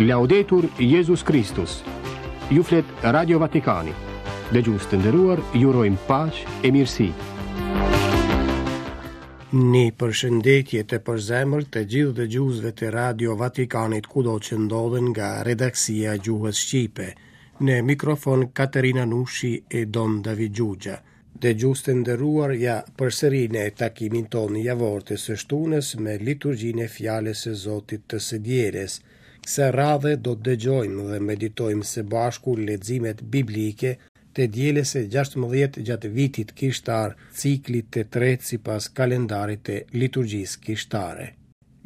Laudetur Jezus Kristus. Ju flet Radio Vatikani. Dëgjues të nderuar, ju urojmë paqe e mirësi. Një përshëndetje të përzemërt të gjithë dëgjuesve të Radio Vatikanit kudo që ndodhen nga redaksia e gjuhës shqipe. Në mikrofon Katerina Nushi e Dom David Xhuxha. Dëgjues të nderuar, ja përsëri në takimin tonë javor të së shtunës me liturgjinë e Fjalës së Zotit të së dielës. Kësaj radhe do të dëgjojmë dhe meditojmë së bashku leximet biblike të dielës së 16 gjatë vitit kishtar, ciklit të tretë sipas kalendarit të liturgjisë kishtare.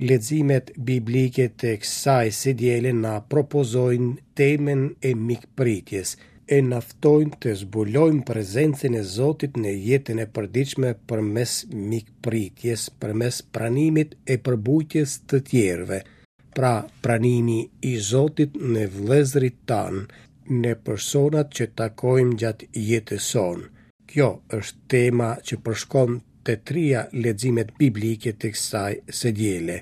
Leximet biblike të kësaj së diele na propozojnë temën e mikpritjes e na ftojnë të zbulojmë prezencën e Zotit në jetën e përditshme përmes mikpritjes, përmes pranimit e përbujtjes të tjerëve. Pra, pranimi i Zotit në vëllezërit tanë, në personat që takojmë gjatë jetës sonë. Kjo është tema që përshkon të tria leximet biblike të kësaj së diele.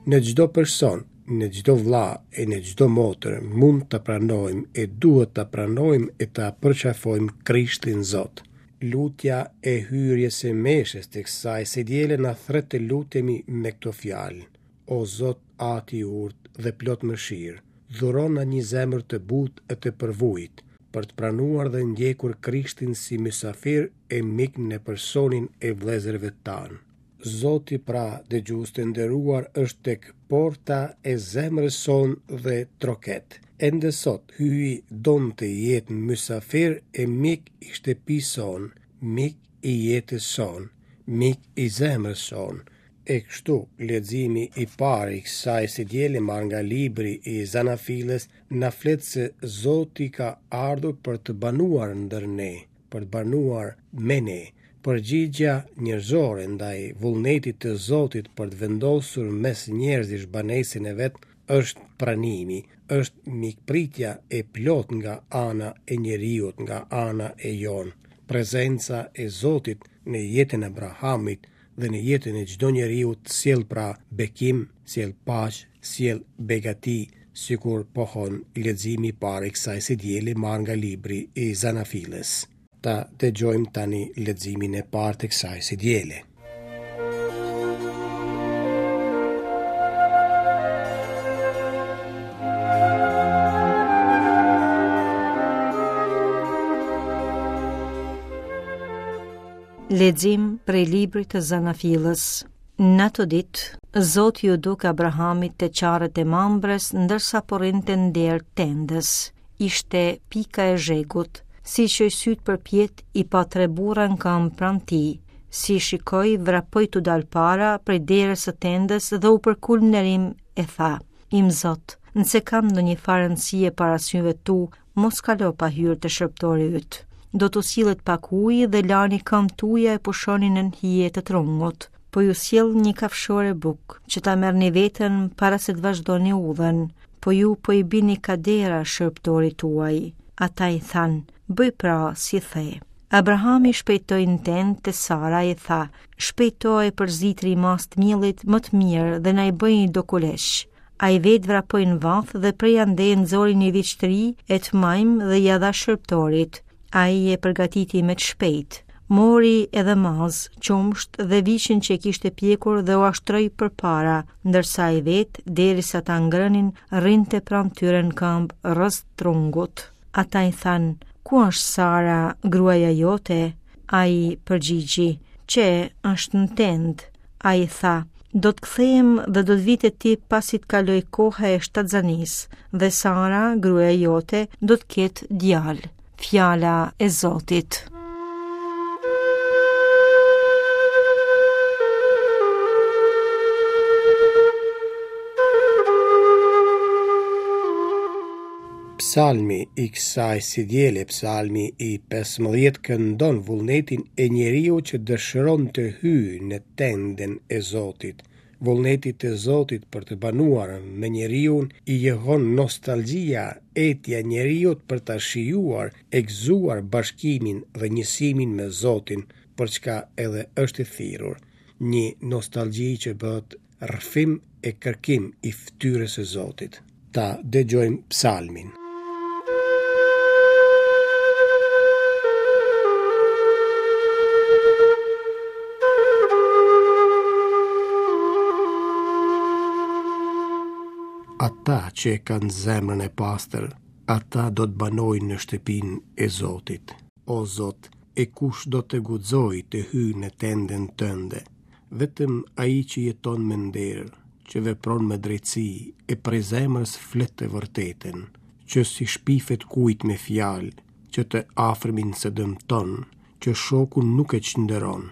Në çdo person, Në çdo vëlla e në çdo motër mund të pranojmë e duhet ta pranojmë e ta përqafojmë Krishtin Zot. Lutja e hyrjes së meshës të kësaj së diele na thërret të lutemi me këto fjalë, O Zot Ati i urtë dhe plot mëshirë, dhurona një zemër të butë e të përvujtë, për të pranuar dhe ndjekur Krishtin si mysafir e mik në personin e vëllezërve tanë. Zoti pra, dëgjues të nderuar, është tek porta e zemrës sonë dhe troket. Ende sot, Hyji don të jetë mysafir e mik i shtëpisë sonë, mik i jetës sonë, mik i zemrës sonë. E kështu, leximi i parë i kësaj së diele marrë nga libri i Zanafillës na flet se Zoti ka ardhur për të banuar ndër ne. për të banuar me ne. Përgjigja njerëzore ndaj vullnetit të Zotit për të vendosur mes njerëzish banesën e vet është pranimi, është mikpritja e plotë nga ana e njeriut, nga ana e jonë. Prezenca e Zotit në jetën e Abrahamit dhe në jetën e çdo njeriu sjell pra bekim, sjell paqe, sjell begati, sikur pohon leximi i parë i kësaj së diele marrë nga libri i Zanafillës. Ta dëgjojmë tani leximin e parë të kësaj së diele. Lexim prej librit të Zanafillës. Në ato ditë, Zoti iu duk Abrahamit te çarët e Mambrës, ndërsa po rrinte në derë të tendës. Ishte pika e zhegut. Si çoi sytë përpjetë, i pa tre burra në këmbë pranë tij. Si i shikoi, vrapoi t'u dalë para prej derës së tendës dhe u përkul me nderim e tha: Imzot, nëse kam ndonjë farë rëndësie para syve tu, Mos kalo pa hyrë te shërbëtori yt. Do t'u sillet pak ujë dhe lani këmbët tuaja e pushoni nën hije të trungut. Po ju sjell një kafshore bukë, që ta merrni veten para se të vazhdoni udhën. Po ju po i bini kadera shërbëtorit tuaj. Ata i thanë, bëj pra si the. Abrahami shpejtoi në tendë te Sara e tha, shpejto e përzi tri masë të miellit më të mirë dhe na i bëj do kuleq. Ai vetë vrapoi në vathë dhe prej andej nxori një viç të ri e të majmë dhe ia dha shërbëtorit. Ai e përgatiti me të shpejtë. Mori edhe mazë, qumësht dhe viçin që e kishte pjekur dhe ua shtroi përpara, ndërsa ai vetë, derisa ta ngrënin, rrinte pranë tyre në këmbë rrëzë trungut. Ata i thanë, ku është Sara, gruaja jote? Ai përgjigji, qe, është në tendë. Ai tha, do të kthehem dhe do të vij te ti pasi të kalojë koha e shtatzanisë, dhe Sara, gruaja jote, do të ketë djalë. Fjala e Zotit. Psalmi i kësaj së diele, psalmi i 15 këndon vullnetin e njeriut që dëshiron të hyjë në tendën e Zotit. Vullnetit të Zotit për të banuar me njeriun i jehon nostalgjia, etja e njeriut për ta shijuar e gëzuar bashkimin dhe njësimin me Zotin, për çka edhe është i thirrur. Një nostalgji që bëhet rrëfim e kërkim i fytyrës së Zotit. Ta dëgjojmë psalmin. Ata që e kanë zemrën e pastër, ata do të banojnë në shtëpinë e Zotit. O Zot, e kush do të guxojë të hyjë në tendën tënde? Vetëm ai që jeton me nder, që vepron me drejtësi e prej zemrës flet të vërtetën, që s'i shpifet kujt me fjalë, që të afërmin s'e dëmton, që shokun nuk e çnderon,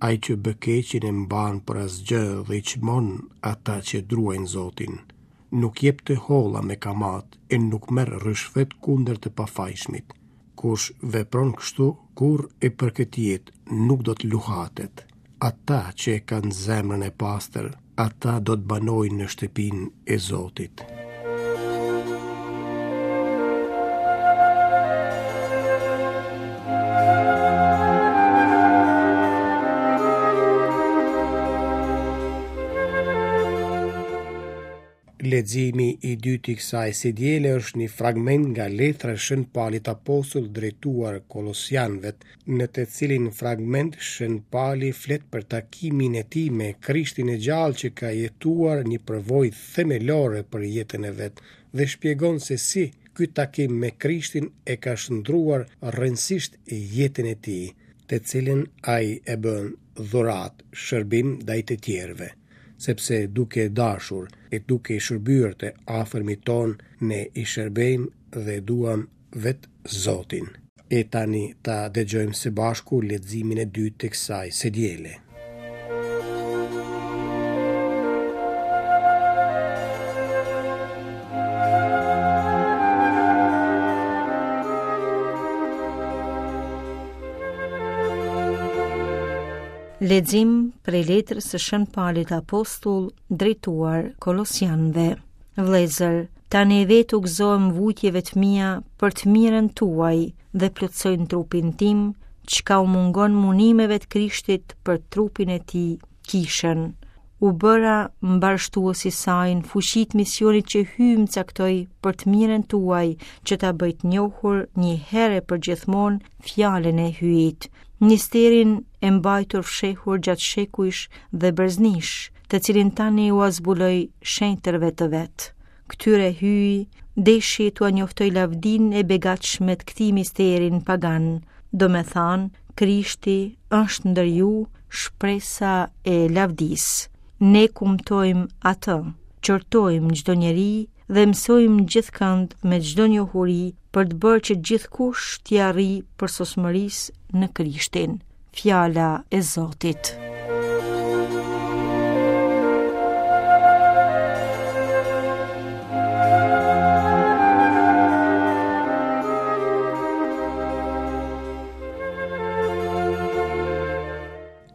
ai që bë keqin e mban për asgjë dhe i çmon ata që druajnë Zotin. Nuk jep të holla me kamatë e nuk merr ryshfet kundër të pafajshmit. Kush vepron kështu, kurrë e për këtë jetë nuk do të luhatet. Ata që e kanë zemrën e pastër, ata do të banojnë në shtëpinë e Zotit. Leximi i dytë i kësaj së diele është një fragment nga letra e Shën Palit Apostull drejtuar Kolosianëve, në të cilin fragment Shën Pali flet për takimin e tij me Krishtin e gjallë që ka jetuar një përvojë themelore për jetën e vet dhe shpjegon se si ky takim me Krishtin e ka shndërruar rrënjësisht jetën e tij, të cilën ai e bën dhuratë, shërbim ndaj të tjerëve. sepse duke dashur e duke i shërbyer të afërmit tonë, ne i shërbejmë dhe duam vetë Zotin. E tani ta dëgjojmë së bashku leximin e dytë të kësaj së diele. Lexim prej letrës së Shën Palit Apostull drejtuar Kolosianëve. Vëllezër, tani vetë u gëzohem vujtjeve të mia për të mirën tuaj dhe plotësoj në trupin tim çka u mungon mundimeve të Krishtit për trupin e tij, kishën. U bëra mbarështues i saj në fuqi të misionit që Hyji më caktoi për të mirën tuaj, që ta bëj të njohur një herë e përgjithmonë fjalën e Hyjit, misterin e mbajtur fshehur gjatë shekujsh dhe breznish, të cilin tani ua zbuloj shenjtërve të vet. Këtyre Hyji deshi t'ua njoftojë lavdinë e begatshme të këtij misteri në paganë, domethënë, Krishti është ndër ju shpresa e lavdisë. Ne kumtojmë atë, qortojmë çdo njeri dhe mësojmë gjithkënd me çdo njohuri për të bërë që gjithkush t'i arrijë përsosmërisë në Krishtin. Fjala e Zotit.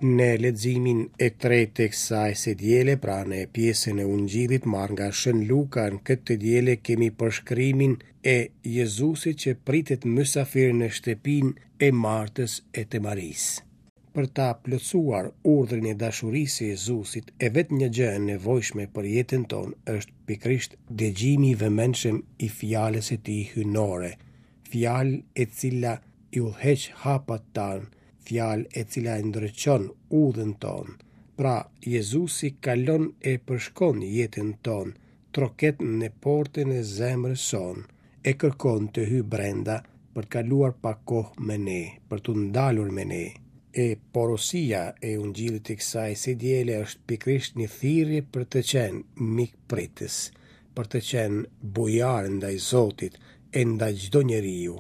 Në leximin e tretë të kësaj së diele, pra në pjesën e Ungjillit marrë nga Shën Luka, në këtë të diele kemi përshkrimin e Jezusit që pritet mysafir në shtëpinë e Martës e të Marisë. Për ta plotësuar urdhrin e dashurisë së Jezusit, e vetmja gjë e nevojshme për jetën tonë është pikërisht dëgjimi i vëmendshëm i fjalës së tij hyjnore, fjalë e cila i udhëheq hapat tanë, fjalë e cila e ndriçon udhën tonë. Pra, Jezusi kalon e përshkon jetën tonë, troket në portën e zemrës sonë, e kërkon të hyjë brenda për të kaluar pak kohë me ne, për t'u ndalur me ne. E porosia e Ungjillit të kësaj së diele është pikërisht një thirrje për të qenë mikpritës, për të qenë bujar ndaj Zotit e ndaj çdo njeriu.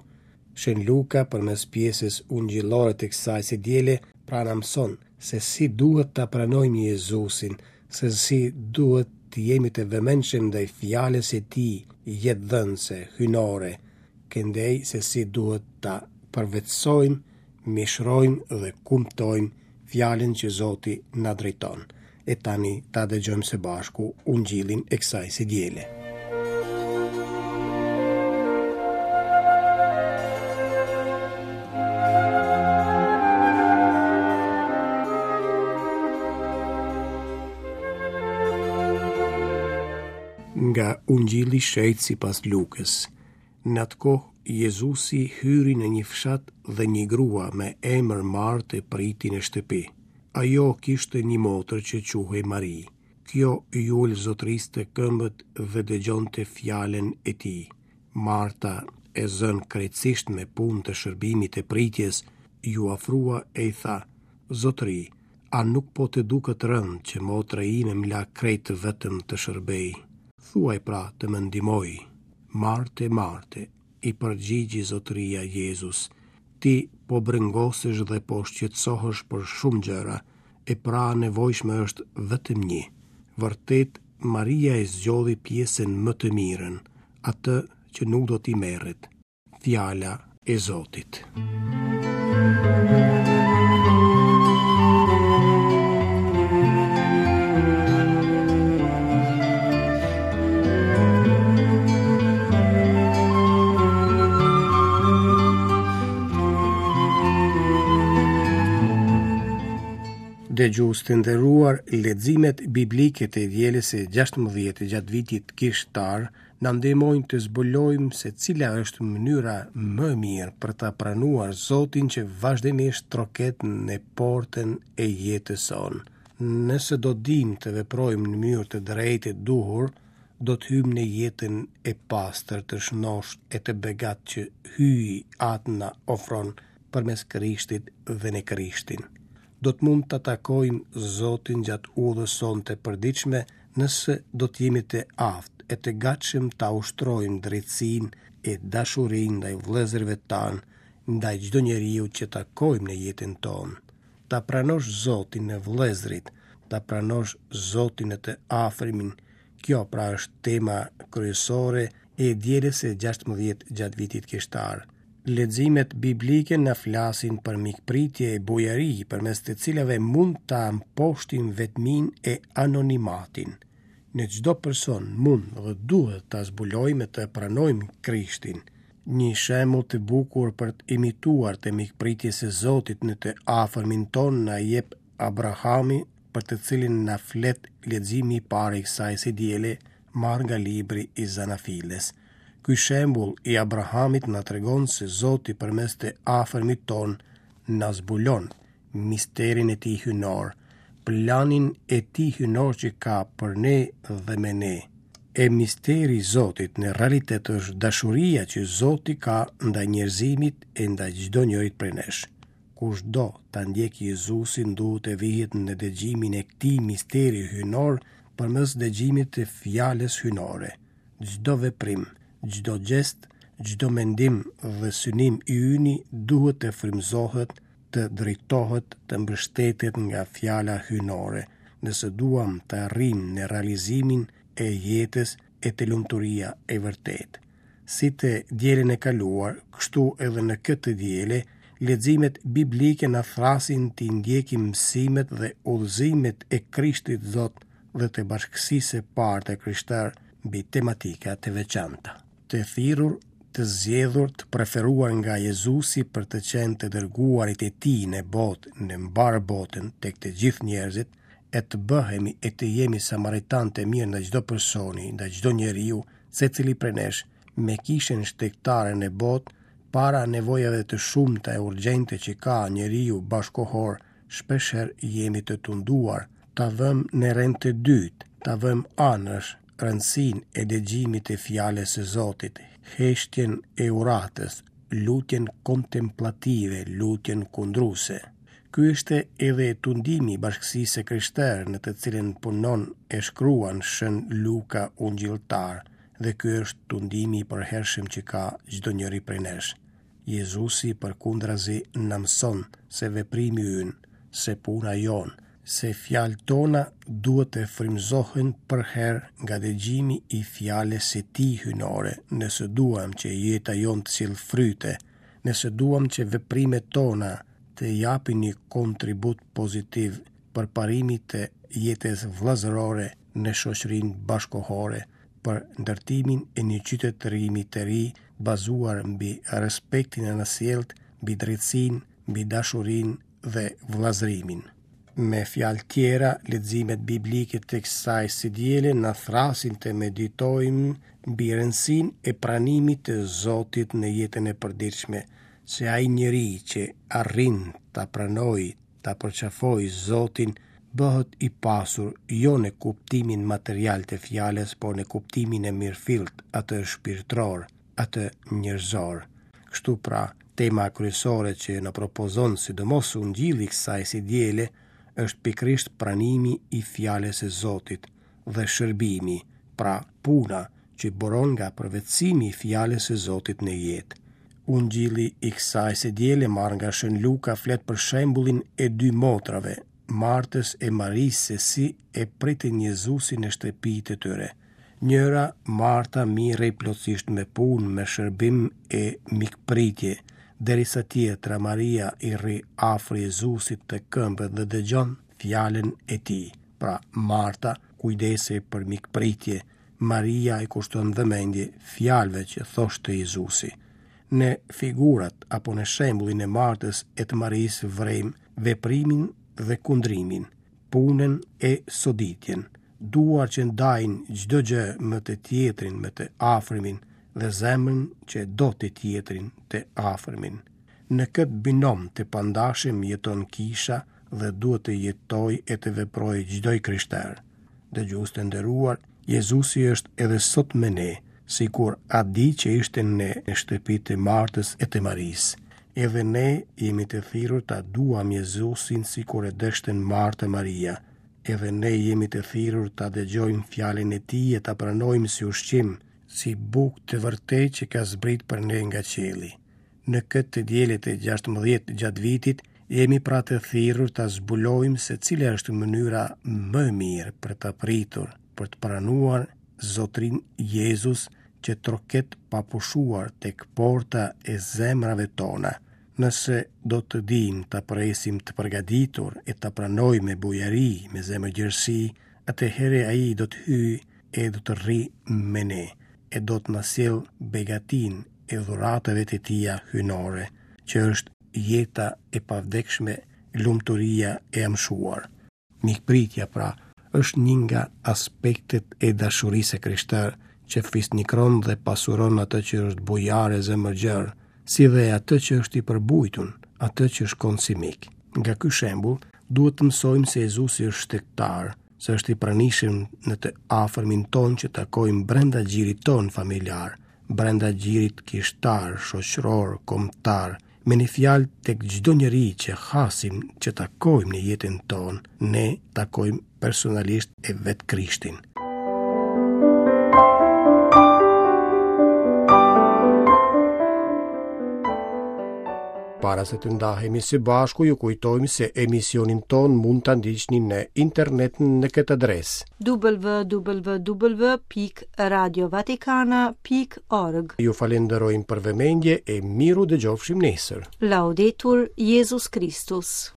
Shën Luka përmes pjesës ungjillore të kësaj së diele pra na mëson se si duhet ta pranojmë Jezusin, se si duhet të jemi të vëmendshëm ndaj fjalës së tij jetëdhënëse, hyjnore, këndej se si duhet ta përvetësojmë, mishërojmë dhe kumtojmë fjalën që Zoti na drejton. E tani ta dëgjojmë së bashku ungjillin e kësaj së diele. Nga Ungjilli i Shenjtë sipas Lukës. Në atë kohë Jezusi hyri në një fshat dhe një grua me emër Martë e priti në shtëpi. Ajo kishte një motër që quhej Mari. Kjo iu ul Zotërisë te këmbët dhe dëgjonte fjalën e tij. Marta, e zënë krejtësisht me punë të shërbimit e pritjes, iu afrua e i tha, Zotëri, a nuk po të duket rëndë që motra ime më la krejt vetëm të shërbej? Thuaji pra të më ndihmojë. Marte, Marte, i përgjigji Zotëria Jezus, ti po brengosesh dhe po shqetësohesh për shumë gjëra, e pra e nevojshme është vetëm një. Vërtet, Maria e zgjodhi pjesën më të mirën, atë që nuk do t'i merret. Fjala e Zotit. Dëgjues të nderuar, leximet biblike të dielës së 16 gjatë vitit kishtar na ndihmojnë të zbulojmë se cila është mënyra më e mirë për ta pranuar Zotin që vazhdimisht troket në portën e jetës sonë. Nëse do dimë të veprojmë në mënyrë të drejtë e duhur, do të hyjmë në jetën e pastër, të shëndoshë e të begatë që Hyji Atë na ofron përmes Krishtit dhe në Krishtin. Do të mund ta takojmë Zotin gjatë udhës sonë të përditshme nëse do të jemi të aftë e të gatshëm ta ushtrojmë drejtësinë e dashurinë ndaj vëllezërve tanë, ndaj çdo njeriu që takojmë në jetën tonë. Ta pranosh Zotin në vëllezërit, ta pranosh Zotin në të afërmin, kjo pra është tema kryesore e dielës së 16 gjatë vitit kishtar. Leximet biblike na flasin për mikpritje e bujari, përmes të cilave mund ta mposhtim vetminë e anonimatin. Në çdo person mund dhe duhet ta zbulojmë e të pranojmë Krishtin. Një shembull të bukur për të imituar të mikpritjes së Zotit në të afërmin tonë na jep Abrahami, për të cilin na flet leximi i parë i kësaj së diele, marrë nga libri i Zanafillës. Ky shembull i Abrahamit na tregon se Zoti përmes të afërmit tonë na zbulon misterin e tij hyjnor, planin e tij hyjnor që ka për ne dhe me ne. E misteri i Zotit në realitet është dashuria që Zoti ka ndaj njerëzimit e ndaj çdo njërit prej nesh. Kush do ta ndjekë Jezusin duhet të vihet në dëgjimin e këtij misteri hyjnor përmes dëgjimit të fjalës hyjnore. Çdo veprim, çdo gjest, çdo mendim dhe synim i yni duhet të frymëzohet, të drejtohet, të mbështetet nga fjala hyjnore, nëse duam të arrijmë në realizimin e jetës e te lumturia e vërtetë. Si të dielën e kaluar, kështu edhe në këtë të diele, leximet biblike na thërrasin t'i ndjekim mësimet dhe udhëzimet e Krishtit Zot dhe të bashkësisë së parë të krishterë mbi tematika të veçanta. Të thirrur, të zgjedhur, të preferuar nga Jezusi për të qenë të dërguarit e tij në botë, në mbarë botën, tek të gjithë njerëzit, e të bëhemi e të jemi samaritanë të mirë ndaj çdo personi, ndaj çdo njeriu, secili prej nesh, me kishën shtegtare në botë, para nevojave të shumta e urgjente që ka njeriu bashkëkohor, shpeshherë jemi të tunduar ta vëmë në rend të dytë, ta vëmë anash rëndësinë e dëgjimit të fjalës së Zotit, heshtjen e uratës, lutjen kontemplative, lutjen kundruese. Ky ishte edhe tundimi i bashkësisë së krishterë në të cilën punon e shkruan Shën Luka Ungjilltar dhe ky është tundimi i përhershëm që ka çdo njeri prej nesh. Jezusi përkundrazi na mëson se veprimi ynë, se puna jonë, se fjalët tona duhet të frymëzohen përherë nga dëgjimi i fjalës së Tij hyjnore, nëse duam që jeta jonë të sjellë fryte, nëse duam që veprimet tona të japin një kontribut pozitiv përparimit të jetës vëllazërore në shoqërinë bashkëkohore, për ndërtimin e një qytetërimi të ri bazuar mbi respektin e anasjelltë, mbi drejtësinë, mbi dashurinë dhe vëllazërimin. Me fjalë tjera, leximet biblike të kësaj së diele na thërrasin të meditojmë mbi rëndësinë e pranimit të Zotit në jetën e përditshme, se ai njeri që arrin ta pranojë, ta përqafojë Zotin, bëhet i pasur jo në kuptimin material të fjalës, por në kuptimin e mirëfilltë, atë shpirtëror, atë njerëzor. Kështu pra, tema kryesore që na propozon sidomos Ungjilli i kësaj së diele është pikërisht pranimi i fjalës së Zotit dhe shërbimi, pra puna që buron nga përvetësimi i fjalës së Zotit në jetë. Ungjilli i kësaj së diele marrë nga Shën Luka flet për shembullin e dy motrave, Martës e Marisë se si e pritën Jezusin në shtëpitë e tyre. Njëra, Marta, merrej plotësisht me punë, me shërbim e mikpritje, derisa tjetra, Maria, i rri afër Jezusit te këmbët dhe dëgjon fjalën e tij. Pra, Marta kujdesej për mikpritje, Maria i kushton vëmendje fjalëve që thoshte Jezusi. Në figurat apo në shembullin e Martës e të Marisë vërejmë veprimin dhe kundrimin, punën e soditjen, duar që ndajnë çdo gjë me të tjetrin, me të afërmin dhe zemrën që do të tjetrin, të afërmin. Në këtë binom të pandashëm jeton kisha dhe duhet të jetojë e të veprojë çdo i krishterë. Dëgjues të nderuar, Jezusi është edhe sot me ne, sikur atë ditë që ishte në shtëpi të Martës e të Marisë. Edhe ne jemi të thirrur ta duam Jezusin sikur e deshtën Marta e Maria. Edhe ne jemi të thirrur ta dëgjojmë fjalën e tij e ta pranojmë si ushqim, si bukë të vërtetë që ka zbrit për ne nga qielli. Në këtë të diele të 16 gjatë vitit, jemi pra të thirrur ta zbulojmë se cila është mënyra më e mirë për ta pritur, për të pranuar Zotrin Jezus që troket pa pushuar tek porta e zemrave tona. Nëse do të dimë ta presim të përgatitur e ta pranojmë me bujari, me zemërgjerësi, atëherë ai do të hyjë e do të rrijë me ne, e do të na sjellë begatinë e dhuratave të tija hyjnore, që është jeta e pavdekshme, lumturia e amshuar. Mikpritja, pra, është një nga aspektet e dashurisë së krishterë që fisnikron dhe pasuron atë që është bujar e zemërgjerë, si dhe atë që është i përbujtun, atë që shkon si mik. Nga ky shembull, duhet të mësojmë se Jezusi është shtegtar, se është i pranishëm në të afërmin tonë që takojmë brenda gjirit tonë familjar, brenda gjirit kishtar, shoqëror, kombëtar, me një fjalë tek çdo njeri që hasim, që takojmë në jetën tonë, ne takojmë personalisht e vetë Krishtin. Para se të ndahemi së bashku, ju kujtojmë se emisionin tonë mund ta ndiqni në internet në këtë adresë. www.radiovatikana.org Ju falenderojmë për vëmendje e mirudëgjofshim nesër. Laudetur Jezus Christus.